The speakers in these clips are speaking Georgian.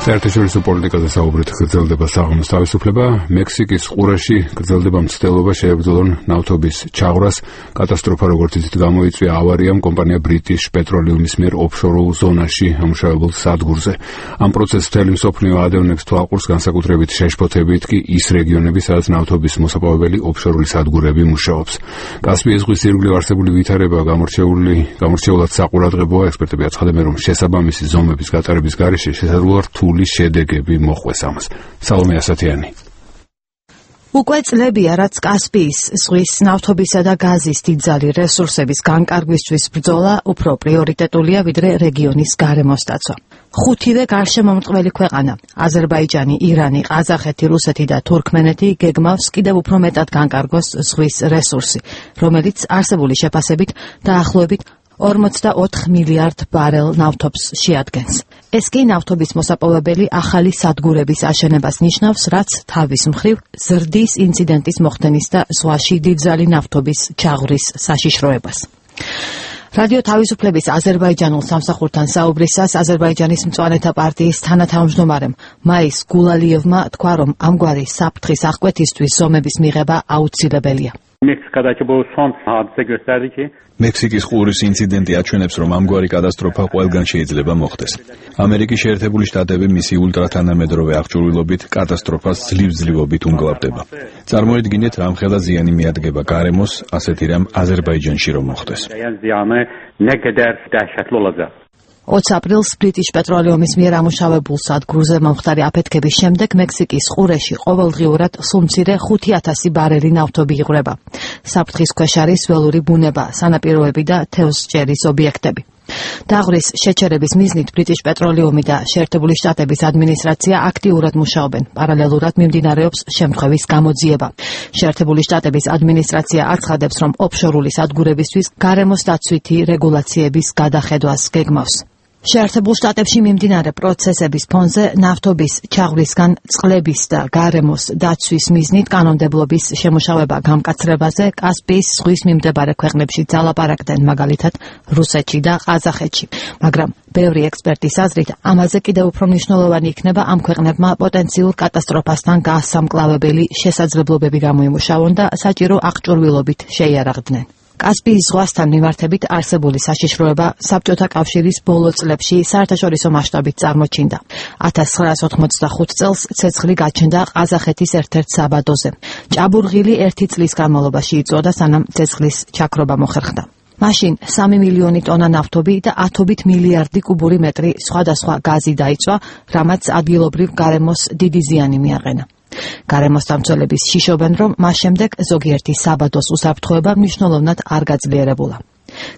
საერთაშორისო პოლიტიკაზე საუბრით გრძელდება საღამოს თავისუფლება. მექსიკის ყურეში გრძელდება მცდელობა შეებრძოლონ ნავთობის ჩაღვრას. კატასტროფა როგორც იცით გამოიწვია ავარიამ კომპანია British Petroleum-ის მიერ ოფშორულ ზონაში ამუშავებელ სადგურზე. ამ პროცესს მთელი მსოფლიო ადევნებს თვალყურს, განსაკუთრებით შეშფოთებით კი ის რეგიონები, სადაც ნავთობის მოსაპოვებელი ოფშორული სადგურები მუშაობს. კასპიის ზღვის ირგვლივ არსებული ვითარება გამორჩეულად საყურადღებოა. ექსპერტები აცხადებენ, რომ შესაბამისი ზომების გატარების გარეშე შესაძლოა რთული შედეგები მოხვეს ამას. სალომე ასათიანი. უკვე წლებია, რაც კასპიის ზღვის ნავთობისა და გაზის დიდძალი რესურსების განკარგვისთვის ბრძოლა უფრო პრიორიტეტულია, ვიდრე რეგიონის გარემოს დაცვა. ხუთივე გარშემომტყველი ქვეყანა აზერბაიჯანი, ირანი, ყაზახეთი, რუსეთი და თურქმენეთი გეგმავს კიდევ უფრო მეტად განკარგოს ზღვის რესურსი, რომელიც არსებული შეფასებით დაახლოებით 44 მილიარდ ბარელ ნავთობს შეადგენს. ეს კი ნავთობის მოსაპოვებელი ახალი სადგურების აშენებას ნიშნავს, რაც თავის მხრივ ზრდის ინციდენტის მოხდენის და ზღვაში დიდძალი ნავთობის ჩაღვრის საშიშროებას. რადიო თავისუფლების აზერბაიჯანულ სამსახურთან საუბრისას აზერბაიჯანის მწვანეთა პარტიის თანათავმჯდომარემ მაის გულალიევმა თქვა, რომ ამგვარი საფრთხის აღკვეთისთვის ზომების მიღება აუცილებელია. მექსიკის ყურის ინციდენტი აჩვენებს, რომ ამგვარი კატასტროფა ყველგან შეიძლება მოხდეს. ამერიკის შეერთებული შტატები მისი ულტრათანამედროვე აღჭურვილობით კატასტროფას ძლივ-ძლივობით უმგლავდება. წარმოიდგინეთ, რამხელა ზიანი მიადგება გარემოს, ასეთი რამ აზერბაიჯანში რომ მოხდეს. 20 აპრილს British Petroleum-ის მიერ ამუშავებულ სადგურზე მომხდარი აფეთქების შემდეგ მექსიკის ყურეში ყოველდღიურად სულ მცირე 5,000 ბარელი ნავთობი იღვრება. საფრთხის ქვეშ არის ველური ბუნება, სანაპიროები და თევზჭერის ობიექტები. დაღვრის შეჩერების მიზნით British Petroleum-ი და შეერთებული შტატების ადმინისტრაცია აქტიურად მუშაობენ. პარალელურად მიმდინარეობს შემთხვევის გამოძიება. შეერთებული შტატების ადმინისტრაცია აცხადებს, რომ ოფშორული სადგურებისთვის გარემოს დაცვითი რეგულაციების გადახედვას გეგმავს. შეერთებულ შტატებში მიმდინარე პროცესების ფონზე ნავთობის ჩაღვრისგან წყლების და გარემოს დაცვის მიზნით კანონმდებლობის შემუშავება გამკაცრებაზე კასპიის ზღვის მიმდებარე ქვეყნებში ძალაპარაკდნენ, მაგალითად რუსეთში და ყაზახეთში. მაგრამ ბევრი ექსპერტის აზრით, ამაზე კიდევ უფრო მნიშვნელოვანი იქნება ამ ქვეყნებმა პოტენციურ კატასტროფასთან გასამკლავებელი შესაძლებლობები გამოიმუშავონ და საჭირო აღჭურვილობით შეიარაღდნენ. კასპიის ზღვასთან მიმართებით არსებული საშიშროება საბჭოთა კავშირის ბოლო წლებში საერთაშორისო მასშტაბით წარმოჩინდა. 1985 წელს ცეცხლი გაჩნდა ყაზახეთის ერთ-ერთ საბადოზე. ჭაბურღილი 1 წლის განმავლობაში იწვოდა, სანამ ცეცხლის ჩაქრობა მოხერხდა. მაშინ 3 მილიონი ტონა ნავთობი და ათობით მილიარდი კუბური მეტრი სხვადასხვა გაზი დაიწვა, რამაც ადგილობრივ გარემოს დიდი ზიანი მიაყენა. გარემოსდამცველები შიშობენ, რომ მას შემდეგ ზოგიერთი საბადოს უსაფრთხოება მნიშვნელოვნად არ გაძლიერებულა.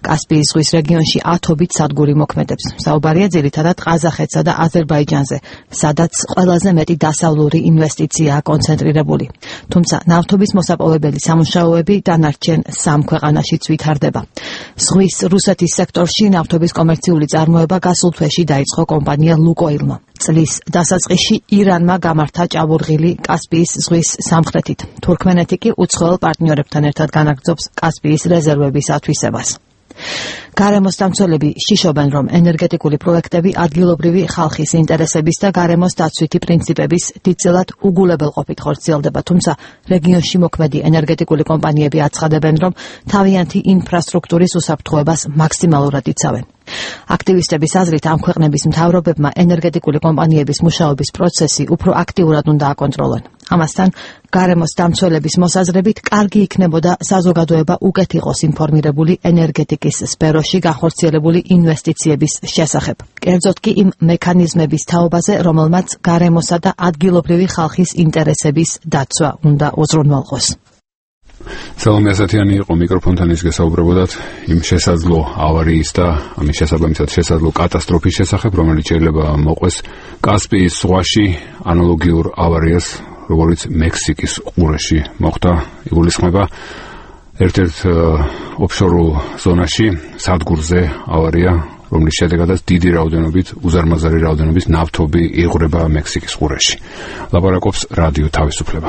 კასპიის ზღვის რეგიონში ათობით სადგური მოქმედებს. საუბარია ძირითადად ყაზახეთსა და აზერბაიჯანზე, სადაც ყველაზე მეტი დასავლური ინვესტიციაა კონცენტრირებული. თუმცა ნავთობის მოსაპოვებელი სამუშაოები დანარჩენ 3 ქვეყანაშიც ვითარდება. ზღვის რუსეთის სექტორში ნავთობის კომერციული წარმოება გასულ თვეში დაიწყო კომპანია ლუკოილმა. წლის დასაწყისში ირანმა გამართა ჭაბურღილი კასპიის ზღვის სამხრეთით. თურქმენეთი კი უცხოელ პარტნიორებთან ერთად განაგრძობს კასპიის რეზერვების ათვისებას. გარემოსდამცველები შიშობენ, რომ ენერგეტიკული პროექტები ადგილობრივი ხალხის ინტერესების და გარემოს დაცვითი პრინციპების დიდწილად უგულებელყოფით ხორციელდება, თუმცა რეგიონში მოქმედი ენერგეტიკული კომპანიები აცხადებენ, რომ თავიანთი ინფრასტრუქტურის უსაფრთხოებას მაქსიმალურად იცავენ. აქტივისტების აზრით, ამ ქვეყნების მთავრობებმა ენერგეტიკული კომპანიების მუშაობის პროცესი უფრო აქტიურად უნდა აკონტროლონ. ამასთან, გარემოს დამცველების მოსაზრებით, კარგი იქნებოდა საზოგადოება უკეთ იყოს ინფორმირებული ენერგეტიკის სფეროში გახორციელებული ინვესტიციების შესახებ. კერძოდ კი იმ მექანიზმების თაობაზე, რომელმაც გარემოსა და ადგილობრივი ხალხის ინტერესების დაცვა უნდა უზრუნველყოს. სალომე ასათიანი იყო მიკროფონთან, ის გესაუბრებოდათ იმ შესაძლო ავარიის და ამის შესაბამისად შესაძლო კატასტროფის შესახებ, რომელიც შეიძლება მოყვეს კასპიის ზღვაში ანალოგიურ ავარიას, როგორც მექსიკის ყურეში მოხდა. იგულისხმება ერთ-ერთ ოფშორულ ზონაში სადგურზე ავარია, რომლის შედეგადაც დიდი რაოდენობით, უზარმაზარი რაოდენობის ნავთობი იღვრება მექსიკის ყურეში. ლაპარაკობს რადიო თავისუფლება.